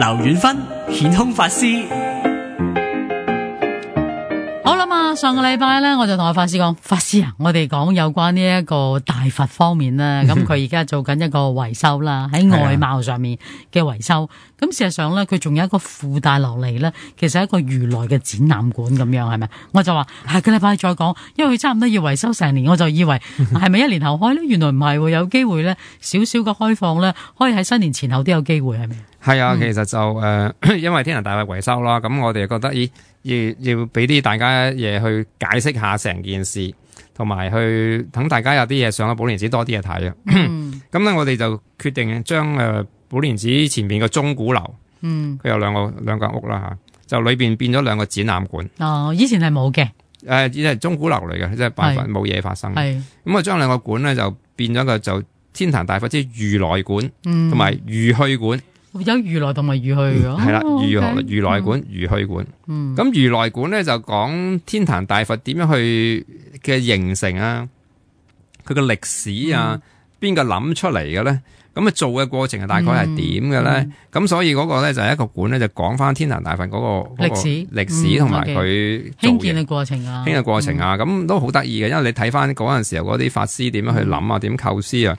劉遠芬顯空法師。好啦嘛，上個禮拜咧，我就同阿法師講，法師啊，我哋講有關呢一個大佛方面啦，咁佢而家做緊一個維修啦，喺外貌上面嘅維修。咁事實上咧，佢仲有一個附帶落嚟咧，其實係一個如來嘅展覽館咁樣，係咪？我就話下個禮拜再講，因為佢差唔多要維修成年，我就以為係咪一年後開咧？原來唔係，有機會咧，少少嘅開放咧，可以喺新年前後都有機會，係咪？係啊，其實就因為天壇大佛維修啦，咁我哋覺得要俾啲大家嘢去解釋下成件事，同埋去等大家有啲嘢上咗寶蓮寺多啲嘢睇啊。咁咧，我哋就決定將寶蓮寺前邊嘅鐘鼓樓，佢有兩個屋啦吓，就裏邊變咗兩個展覽館。哦，以前係冇嘅。只係鐘鼓樓嚟嘅，即係辦法冇嘢發生。咁啊，將兩個館咧就變咗個就天壇大佛即係如來館，同埋如去館。有如來同埋如去嘅，係啦，如來館、如去館。咁如來館咧就講天壇大佛點樣去嘅形成啊，佢嘅歷史啊，邊個諗出嚟嘅咧？咁啊做嘅過程係大概係點嘅咧？咁所以嗰個咧就係一個館咧，就講翻天壇大佛嗰個歷史同埋佢興建嘅過程啊，咁都好得意嘅，因為你睇翻嗰陣時候嗰啲法師點樣去諗啊，點構思啊，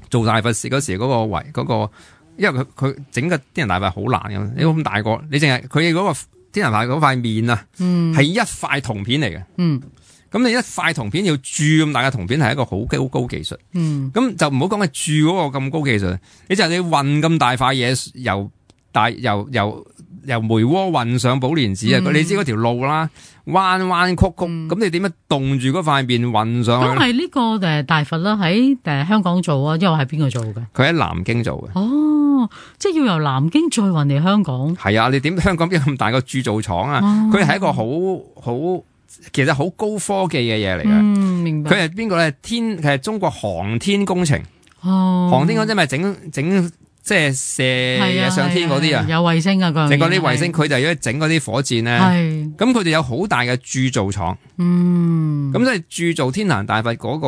做大佛事嗰時嗰個因為佢整個天壇大佛好難嘅，你咁大個，你淨係佢嗰個天壇大佛嗰塊面啊，係一塊銅片嚟嘅。咁你一塊銅片要鑄咁大嘅銅片係一個好高技術。咁就唔好講係鑄嗰個咁高技術，你就係你運咁大塊嘢由梅窩運上寶蓮寺啊！你知嗰條路啦，彎彎曲曲，咁你點樣凍住嗰塊面運上去？咁係呢個大佛啦，喺香港做啊，因為喺邊個做嘅？佢喺南京做嘅。哦，即係要由南京再運嚟香港。係啊，你點香港邊有咁大個鑄造廠啊？佢係一個其實好高科技嘅嘢嚟嘅。明白。佢係邊個咧？佢係中國航天工程。航天工程咪整即係射嘢上天嗰啲啊，有衛星啊，整嗰啲衛星，佢就要整嗰啲火箭咧。咁佢哋有好大嘅鑄造廠。咁即係鑄造天壇大佛嗰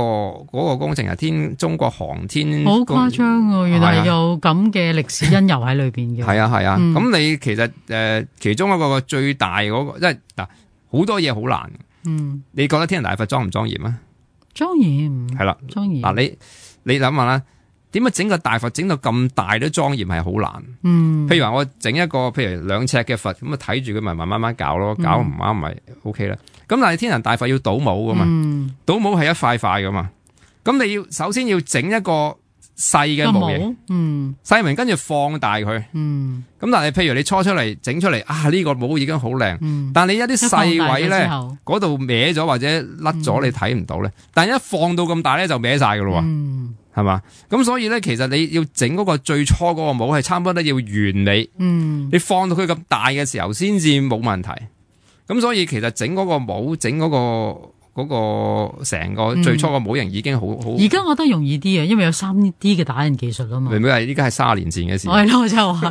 個工程係中國航天。好誇張喎！原來有咁嘅歷史因由喺裏邊嘅。係啊。咁你其實其中一個最大嗰個，即係嗱好多嘢好難。你覺得天壇大佛莊唔莊嚴啊？莊嚴。係啦，莊嚴。嗱你諗下啦。點解整個大佛整到咁大都莊嚴係好難？譬如話我整一個譬如2尺嘅佛，咁啊睇住佢咪慢慢搞咯，搞唔啱咪 OK 啦。咁但係天壇大佛要倒模噶嘛，倒模係一塊塊噶嘛。咁你首先要整一個細嘅模型，細模跟住放大佢。咁但係譬如你初出嚟整出嚟啊，呢個模已經好靚，但係你一啲細位咧嗰度歪咗或者甩咗，你睇唔到咧。但係一放到咁大咧就歪晒噶咯。係嘛？咁所以咧，其實你要整嗰個最初嗰個模係差唔多都要完美。你放到佢咁大嘅時候，先至冇問題。咁所以其實整嗰個模，整嗰個成個最初個模型已經好。而家我覺得容易啲啊，因為有3D 嘅打印技術啊嘛。明唔明啊？依家係30年前嘅事。係咯，我就話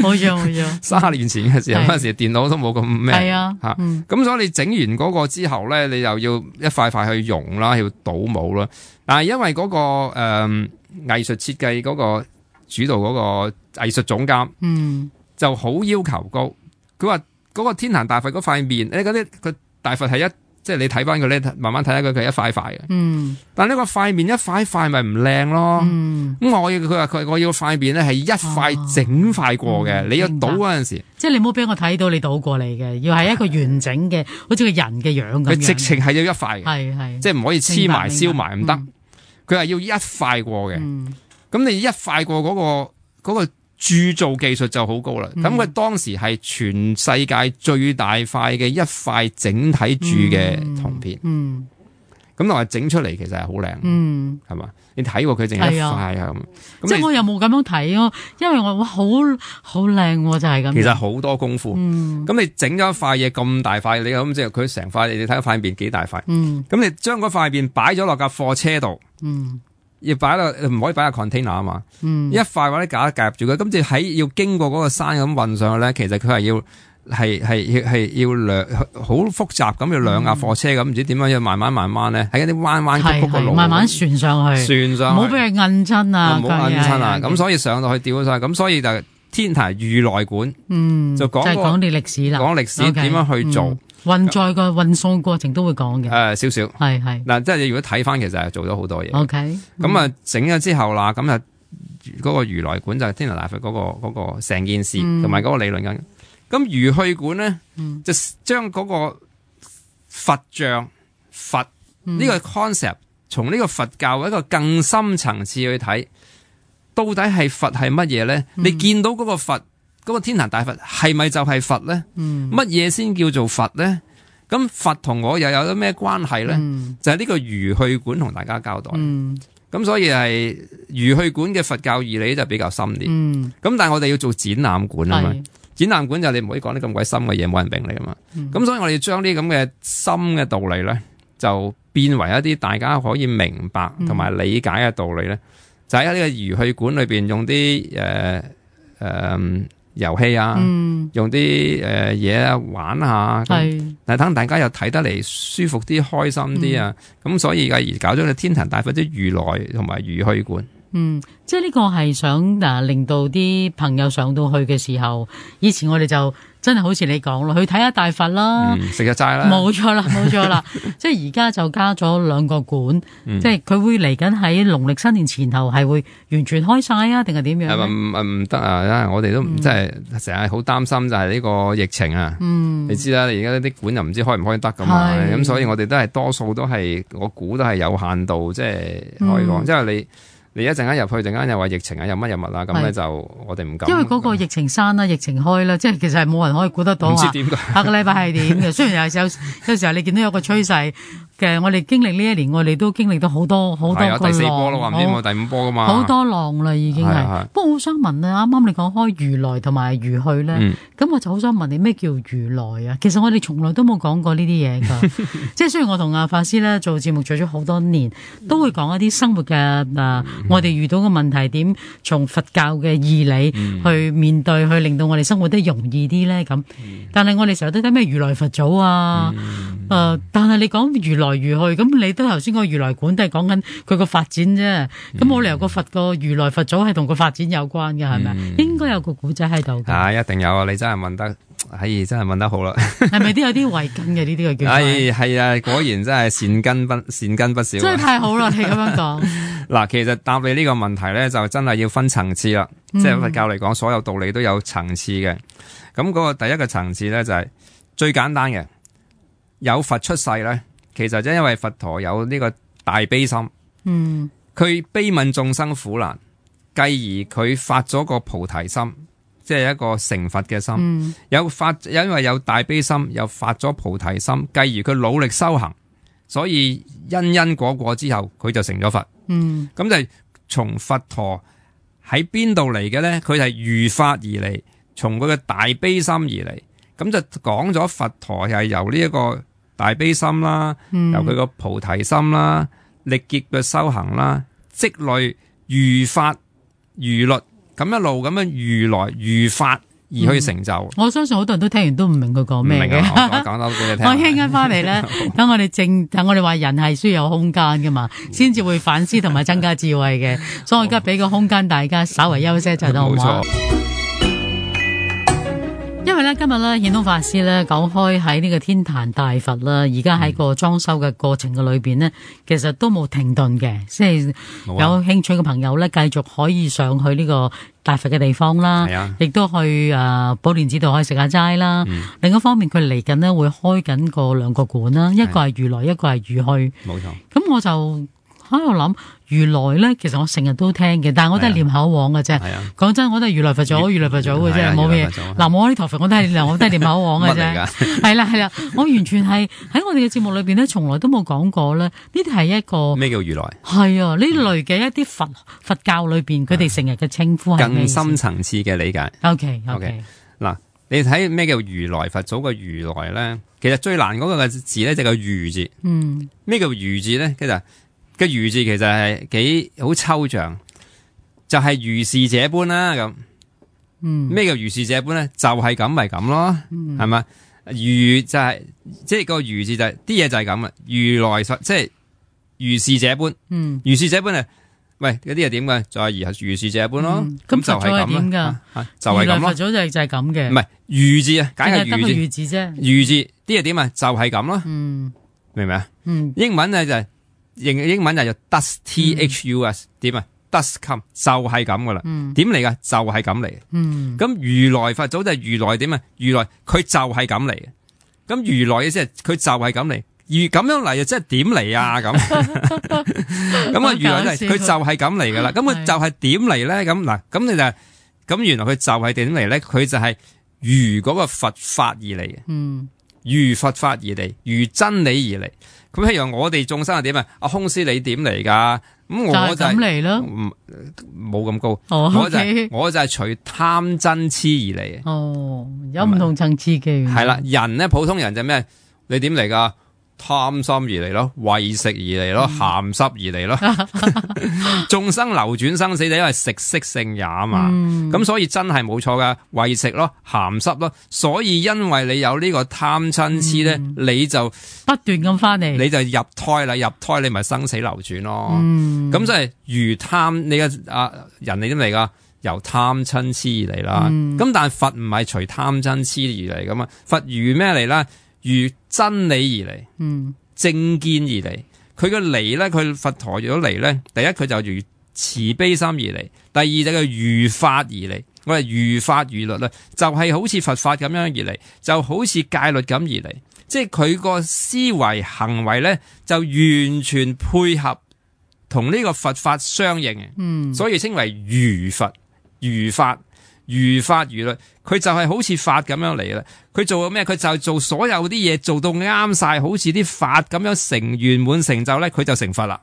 冇錯。30年前嘅時候，嗰陣時電腦都冇咁咩。係啊。咁所以你整完嗰個之後咧，你又要一塊塊去溶啦，要倒模啦。但係因為嗰個藝術設計嗰個主導嗰個藝術總監，就好要求高。佢話嗰個天壇大佛嗰塊面，你嗰啲個大佛係即係你睇翻佢咧，慢慢睇下佢係一塊塊嘅。但係呢個塊面一塊塊咪唔靚咯。咁佢話我要塊面咧係一塊整塊過嘅。你要倒嗰陣時，即係你唔好俾我睇到你倒過嚟嘅，要係一個完整嘅，好似個人嘅樣咁樣。佢直情係要一塊嘅，係即係唔可以黐埋燒埋唔得。佢係要一塊過嘅。咁你一塊過嗰個鑄造技術就好高啦。咁佢當時係全世界最大塊嘅一塊整體鑄嘅銅片。咁同埋整出嚟其實係好靚。係嘛？你睇過佢淨係一塊啊咁。即係我又冇咁樣睇咯，因為我好靚就係咁。其實好多功夫。咁你整咗一塊嘢咁大塊，你咁即係佢成塊，你睇塊面幾大塊。咁你將嗰塊面擺咗落架貨車度。要擺落唔可以擺喺 container 啊嘛。一塊或者架夾住佢，咁就喺要經過嗰個山咁運上去咧，其實佢係要好複雜咁，要2架貨車咁，唔知點樣要慢慢咧喺一啲彎彎曲曲嘅路，慢慢旋上去，唔好俾佢摁親啊，唔好摁親啊。咁所以上到去吊咗上去，咁所以就天壇如來館，就講就係講啲歷史啦，講歷史點樣去做。運載個運送過程都會講嘅。少少係嗱，即係你如果睇翻，其實係做咗好多嘢。OK，咁啊整咗之後啦，咁啊嗰個如來館就係天壇大佛嗰個成件事同埋嗰個理論緊。咁如去館咧，就將嗰個佛像佛呢個 concept 從呢個佛教一個更深層次去睇，到底係佛係乜嘢咧？你見到嗰個佛嗰個天壇大佛係咪就係佛咧？乜嘢先叫做佛咧？咁佛同我又有啲咩關係咧？就係呢個如去館同大家交代。咁所以係如去館嘅佛教義理就比較深啲。咁但係我哋要做展覽館啊嘛。展覽館就你唔可以講啲咁鬼深嘅嘢，冇人明你啊嘛。咁所以我哋將啲咁嘅深嘅道理咧，就變為一啲大家可以明白同埋理解嘅道理咧，就喺呢個如去館裏邊用啲遊戲啊，用啲嘢玩下，但係等大家又睇得嚟舒服啲、開心啲啊。咁所以而搞咗個天壇大佛啲如來同埋如去館。即係呢個係想令到啲朋友上到去嘅時候，以前我哋就真係好似你講咯，去睇下大佛啦，食日齋啦，冇錯啦。即係而家就加咗2個館，即係佢會嚟緊喺農曆新年前後係會完全開晒啊，定係點樣？唔得啊！因為我哋都即係成日好擔心就係呢個疫情啊。你知啦，你而家啲館又唔知開唔開得咁嘛，咁所以我哋都係多數都係我估都係有限度，即係可以講，即係你一陣間入去，陣間又話疫情啊，又乜又乜啦，咁咧就我哋唔敢。因為嗰個疫情閂啦，疫情開啦，即係其實係冇人可以估得到唔知點解下個禮拜係點嘅。雖然有時候你見到有個趨勢嘅，我哋經歷呢一年，我哋都經歷到好多個浪。第4波咯，話唔知有冇第5波噶嘛？好多浪啦，已經係。不過我好想問啊，啱啱你講開如來同埋如去咧，咁我就好想問你咩叫如來啊？其實我哋從來都冇講過呢啲嘢㗎。即係雖然我同阿法師咧做節目做咗好多年，都會講一啲生活嘅我哋遇到嘅問題點從佛教嘅義理去面對，去令到我哋生活得容易啲咧咁。但係我哋成日都睇咩如來佛祖啊，但係你講如來如去，咁你都頭先個如來館都係講緊佢個發展啫。咁冇理由個佛個如來佛祖係同個發展有關嘅，係咪？應該有個古仔喺度㗎。一定有啊！你真係問得，真係問得好啦。係咪都有啲慧根嘅呢啲嘅叫？係啊，果然真係善根不少。真係太好啦！你咁樣講。嗱，其實答你呢個問題咧，就真係要分層次啦。即係佛教嚟講，所有道理都有層次嘅。咁嗰個第一個層次咧，就係最簡單嘅，有佛出世咧，其實即係因為佛陀有呢個大悲心。佢悲憫眾生苦難，繼而佢發咗個菩提心，即係一個成佛嘅心。因為有大悲心，又發咗菩提心，繼而佢努力修行，所以因果之後，佢就成咗佛。咁就係從佛陀喺邊度嚟嘅咧？佢係如法而嚟，從佢嘅大悲心而嚟。咁就講咗佛陀係由呢一個大悲心啦，由佢個菩提心啦，力竭嘅修行啦，積累如法如律，咁一路咁樣如來如法而去成就。我相信好多人都聽完都唔明佢講咩嘅。我講多俾你聽。我聽緊翻嚟咧，等我哋話人係需要有空間噶嘛，先至會反思同埋增加智慧嘅。所以我而家俾個空間大家稍為休息一陣，好唔好？因為咧今日咧顯通法師咧講開喺呢個天壇大佛啦，而家喺個裝修嘅過程嘅裏邊呢，其實都冇停頓嘅，即係有興趣嘅朋友咧繼續可以上去呢個大佛嘅地方啦，亦都去寶蓮寺度可以食下齋啦。另一方面，佢嚟緊呢會開緊2個館啦，一個係如來，一個係如去。冇錯。咁我就喺度諗如來咧，其實我成日都聽嘅，但係我都係念口簧嘅啫。講真，我都係如來佛祖嘅啫，冇咩。嗱，我呢台佛我都係念口簧嘅啫。係啦，我完全係喺我哋嘅節目裏邊咧，從來都冇講過咧。呢啲係一個咩叫如來？係啊，呢類嘅一啲佛教裏邊，佢哋成日嘅稱呼係更深層次嘅理解。OK。嗱，你睇咩叫如來佛祖嘅如來咧？其實最難嗰個字咧就係個如字。咩叫如字咧？其實個如字其實係幾好抽象，就係如是這般啦咁。咩叫如是這般咧？就係咁咪咁咯，係咪？如就係即係個如字就係啲嘢就係咁啊。如來佛即係如是這般，如是這般啊，喂，嗰啲係點嘅？就係如是者一般咯。咁就係咁點㗎？就係咁咯。佛祖就係咁嘅。唔係如字啊，解係得個如如字啫。如字啲係點啊？就係咁咯。明唔明啊？英文咧就係英文就係 does thus 點啊？does come 就係咁噶啦。點嚟噶？就係咁嚟。咁如來佛祖就係如來點啊？如來佢就係咁嚟嘅。咁如來嘅即係佢就係咁嚟。而咁樣嚟又即係點嚟啊？咁咁啊，如來佢就係咁嚟噶啦。咁佢就係點嚟咧？咁嗱，咁你就咁原來佢就係點嚟咧？佢就係如嗰個佛法而嚟嘅。如佛法而嚟，如真理而嚟。咁譬如我哋眾生係點啊？阿空師你點嚟噶？咁我就係咁嚟咯，冇咁高。我就係隨貪嗔痴而嚟嘅。哦，有唔同層次嘅。係啦，人咧普通人就咩？你點嚟噶？貪心而嚟咯，為食而嚟咯，鹹濕而嚟咯。眾生流轉生死就因為食色性也嘛，咁所以真係冇錯噶，為食咯，鹹濕咯。所以因為你有呢個貪嗔痴咧，你就不斷咁翻嚟，你就入胎啦，入胎你咪生死流轉咯。咁即係如貪你嘅人你點嚟噶？由貪嗔痴而嚟啦。咁但係佛唔係隨貪嗔痴而嚟噶嘛？佛如咩嚟啦？如真理而嚟，正見而嚟。佢嘅嚟咧，佢佛陀如果嚟咧，第一佢就如慈悲心而嚟，第二就係如法而嚟。我係如法如律啦，就係好似佛法咁樣而嚟，就好似戒律咁而嚟。即係佢個思維行為咧，就完全配合同呢個佛法相應嘅。所以稱為如佛、如法。如法如律，佢就係好似法咁樣嚟啦。佢做咩？佢就做所有啲嘢做到啱晒，好似啲法咁樣成圓滿成就咧，佢就成佛啦。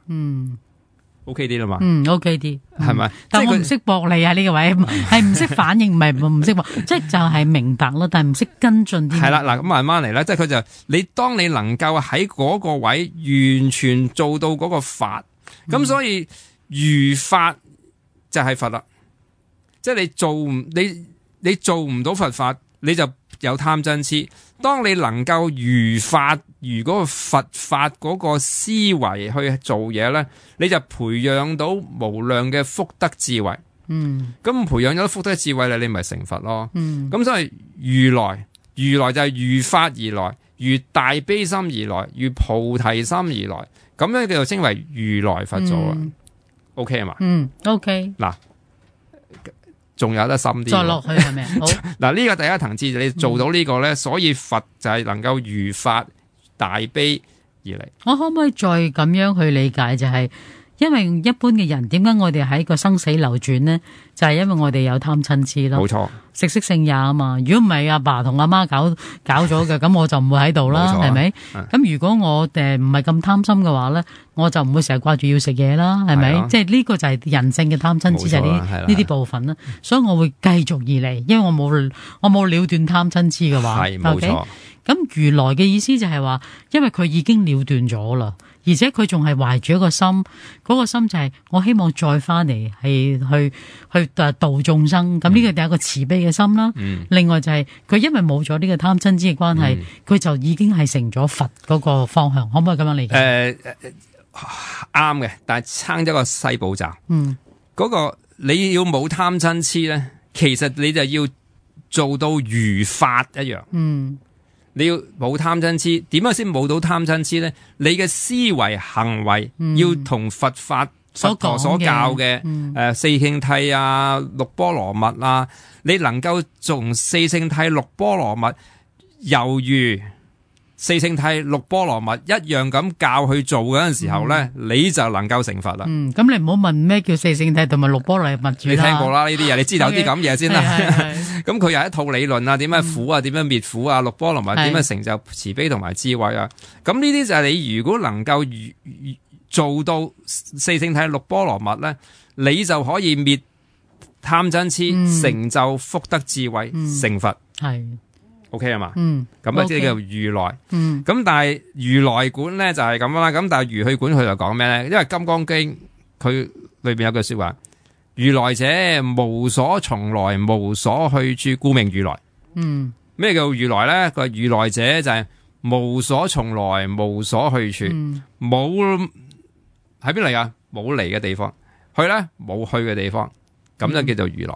OK 啲啦嘛。OK 啲，係咪？但我唔識駁你啊呢個位，係唔識反應，唔係唔識駁，即係就係明白咯，但係唔識跟進啲。係啦，嗱咁慢慢嚟啦，即係佢就你當你能夠喺嗰個位完全做到嗰個法，咁所以如法就係佛啦。即係你做唔到佛法，你就有貪嗔痴。當你能夠如法如嗰個佛法嗰個思維去做嘢咧，你就培養到無量嘅福德智慧。咁培養咗福德智慧咧，你咪成佛咯。咁所以如來就係如法而來，如大悲心而來，如菩提心而來，咁樣叫做稱為如來佛祖啊。OK 啊嘛？OK。嗱。仲有得深啲，再落去係咪？好嗱，呢個第一層次你做到呢個咧，所以佛就係能夠如法大悲而嚟。我可唔可以再咁樣去理解？就係因為一般嘅人點解我哋喺個生死流轉呢？就係因為我哋有貪嗔痴咯。冇錯，食色性也啊嘛。如果唔係阿爸同阿媽搞咗嘅，咁我就唔會喺度啦，係咪？咁如果我唔係咁貪心嘅話咧，我就唔會成日掛住要食嘢啦，係咪？即係呢個就係人性嘅貪嗔痴，就係呢啲部分啦。所以我會繼續而嚟，因為我冇了斷貪嗔痴嘅話，係冇錯。咁如來嘅意思就係話，因為佢已經了斷咗啦。而且佢仲係懷住一個心，嗰個心就係我希望再翻嚟係去度眾生。咁呢個第一個慈悲嘅心啦。另外就係佢因為冇咗呢個貪嗔痴嘅關係，佢就已經係成咗佛嗰個方向。可唔可以咁樣理解？啱嘅，但係差咗個細步驟。嗰個你要冇貪嗔痴咧，其實你就要做到如法一樣。你要冇貪嗔痴，點樣先冇到貪嗔痴咧？你嘅思維行為要同佛法佛陀所教嘅四聖諦啊、六波羅蜜啊，你能夠從四聖諦六波羅蜜猶如四聖諦六波羅蜜一樣咁教去做嗰陣時候咧，你就能夠成佛啦。咁你唔好問咩叫四聖諦同埋六波羅蜜住啦。你聽過啦呢啲嘢，你知道有啲咁嘢先啦。咁佢有一套理論啊，點樣苦啊，點樣滅苦啊，六波羅蜜點樣成就慈悲同埋智慧啊。咁呢啲就係你如果能夠做到四聖諦六波羅蜜咧，你就可以滅貪嗔痴，成就福德智慧，成佛。係。OK 啊嘛，咁啊即係叫如來，咁但係如來管咧就係咁啦，咁但係如去管佢就講咩咧？因為《金剛經》佢裏邊有句說話，如來者無所從來，無所去處，故名如來。咩叫如來咧？佢話如來者就係無所從來，無所去處，冇喺邊嚟噶？冇嚟嘅地方，去咧冇去嘅地方，咁就叫做如來。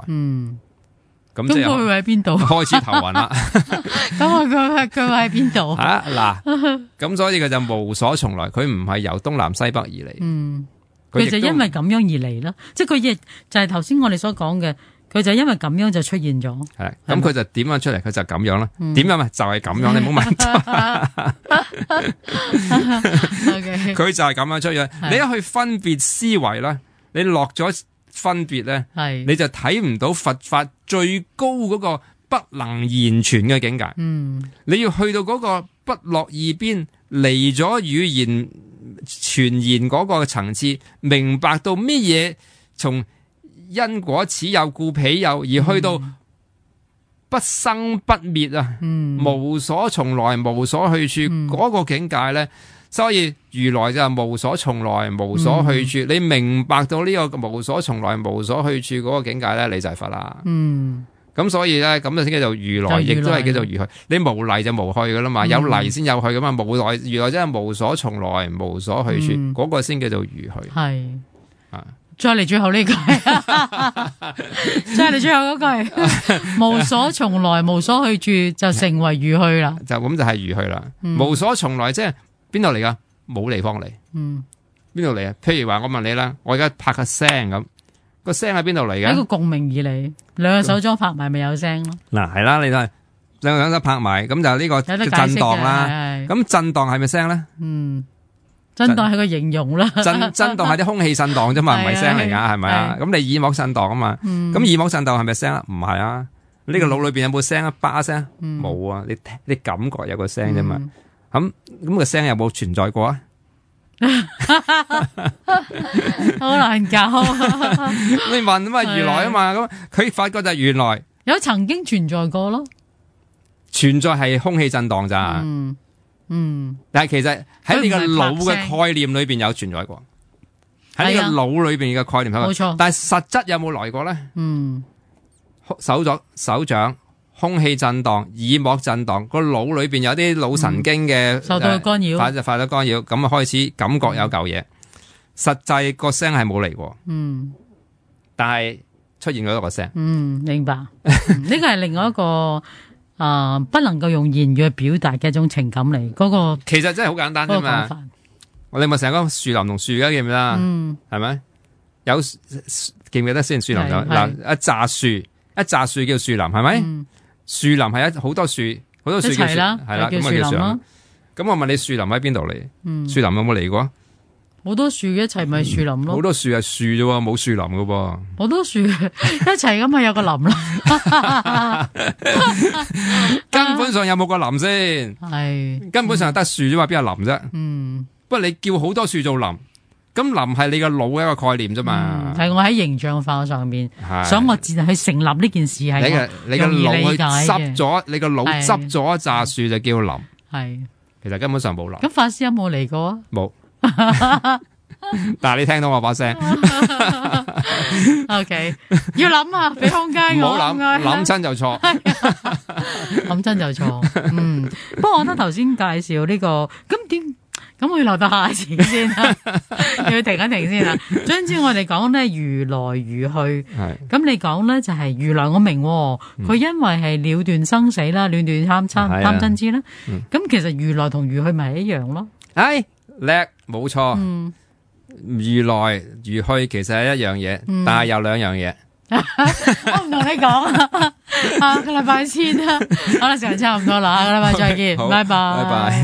咁佢會喺邊度？開始頭暈啦。咁佢會喺邊度？啊嗱，咁所以佢就無所從來，佢唔係由東南西北而嚟。佢就因為咁樣而嚟啦，即係佢亦就係頭先我哋所講嘅，佢就因為咁樣就出現咗。係，咁佢就點樣出嚟？佢就咁樣啦。點樣啊？就係咁樣，你唔好問。佢就係咁樣出現。你一去分別思維啦，你落咗分別咧，你就睇唔到佛法最高嗰個不能言傳嘅境界。你要去到嗰個不落二邊，離咗語言傳言嗰個層次，明白到咩嘢從因果此有故彼有，而去到不生不滅啊，無所從來無所去處嗰個境界咧。所以如來就係無所從來無所去處，你明白到呢個無所從來無所去處嗰個境界咧，你就係佛啦。咁所以咧，咁就先叫做如來，亦都係叫做如去。你無嚟就無去噶啦嘛，有嚟先有去噶嘛。無來如來真係無所從來無所去處，嗰個先叫做如去。係再嚟最後呢句，再嚟最後嗰句，無所從來無所去處就成為如去啦。就咁就係如去啦。無所從來即係邊度嚟噶？冇地方嚟。邊度嚟啊？譬如話我問你啦，我而家拍個聲咁，個聲喺邊度嚟嘅？喺個共鳴而嚟，兩個手掌拍埋咪有聲咯。嗱係啦，你都係兩個手掌拍埋，咁就呢個震盪啦。咁震盪係咪聲咧？震盪係個形容啦。震盪係啲空氣震盪啫嘛，唔係聲嚟噶，係咪啊？咁你耳膜震盪啊嘛，咁耳膜震盪係咪聲啊？唔係啊，呢個腦裏邊有冇聲啊？叭聲冇啊，你感覺有個聲啫嘛。咁個聲有冇存在過啊？好難搞。你問啊嘛，如來啊嘛，咁佢發覺就係原來有曾經存在過咯，存在係空氣震盪咋。但係其實喺你個腦嘅概念裏邊有存在過，喺你個腦裏邊嘅概念冇錯。但係實質有冇來過咧？手掌。空氣震盪、耳膜震盪，個腦裏邊有啲腦神經嘅受到干擾，發咗干擾，咁啊開始感覺有嚿嘢。實際個聲係冇嚟過，但係出現咗一個聲。明白。呢個係另外一個不能夠用言語去表達嘅一種情感嚟。嗰個其實真係好簡單啫嘛。我哋咪成日講樹林同樹嘅，記唔記得？係咪？有記唔記得先？樹林有嗱一紮樹，一紮樹叫樹林，係咪？樹林係好多樹，好多樹叫樹，係啦，咁啊叫樹林。咁我問你，樹林喺邊度嚟？樹林有冇嚟過？好多樹一齊咪樹林咯。好多樹係樹啫，冇樹林噶噃。好多樹一齊咁咪有個林啦。根本上有冇個林先？係根本上係得樹啫嘛，邊有林啫？不過你叫好多樹做林。咁林係你個腦嘅一個概念啫嘛，係我喺形象化上面，想我自然去成立呢件事係你個腦去執咗，你個腦執咗一紮樹就叫林，係其實根本上冇林。咁法師有冇嚟過啊？冇，但係你聽到我把聲，OK， 要諗下，俾空間我，唔好諗親就錯，諗親就錯。不過我覺得頭先介紹呢個咁點？咁我要留到下次先啦，要停一停先啦。總之我哋講咧如來如去，咁你講咧就係如來，我明佢因為係了斷生死啦，了斷貪嗔痴啦。咁其實如來同如去咪係一樣咯？叻，冇錯。如來如去其實係一樣嘢，但係有兩樣嘢。我唔同你講，下個禮拜先啦。好啦，時間差唔多啦，下個禮拜再見，拜拜。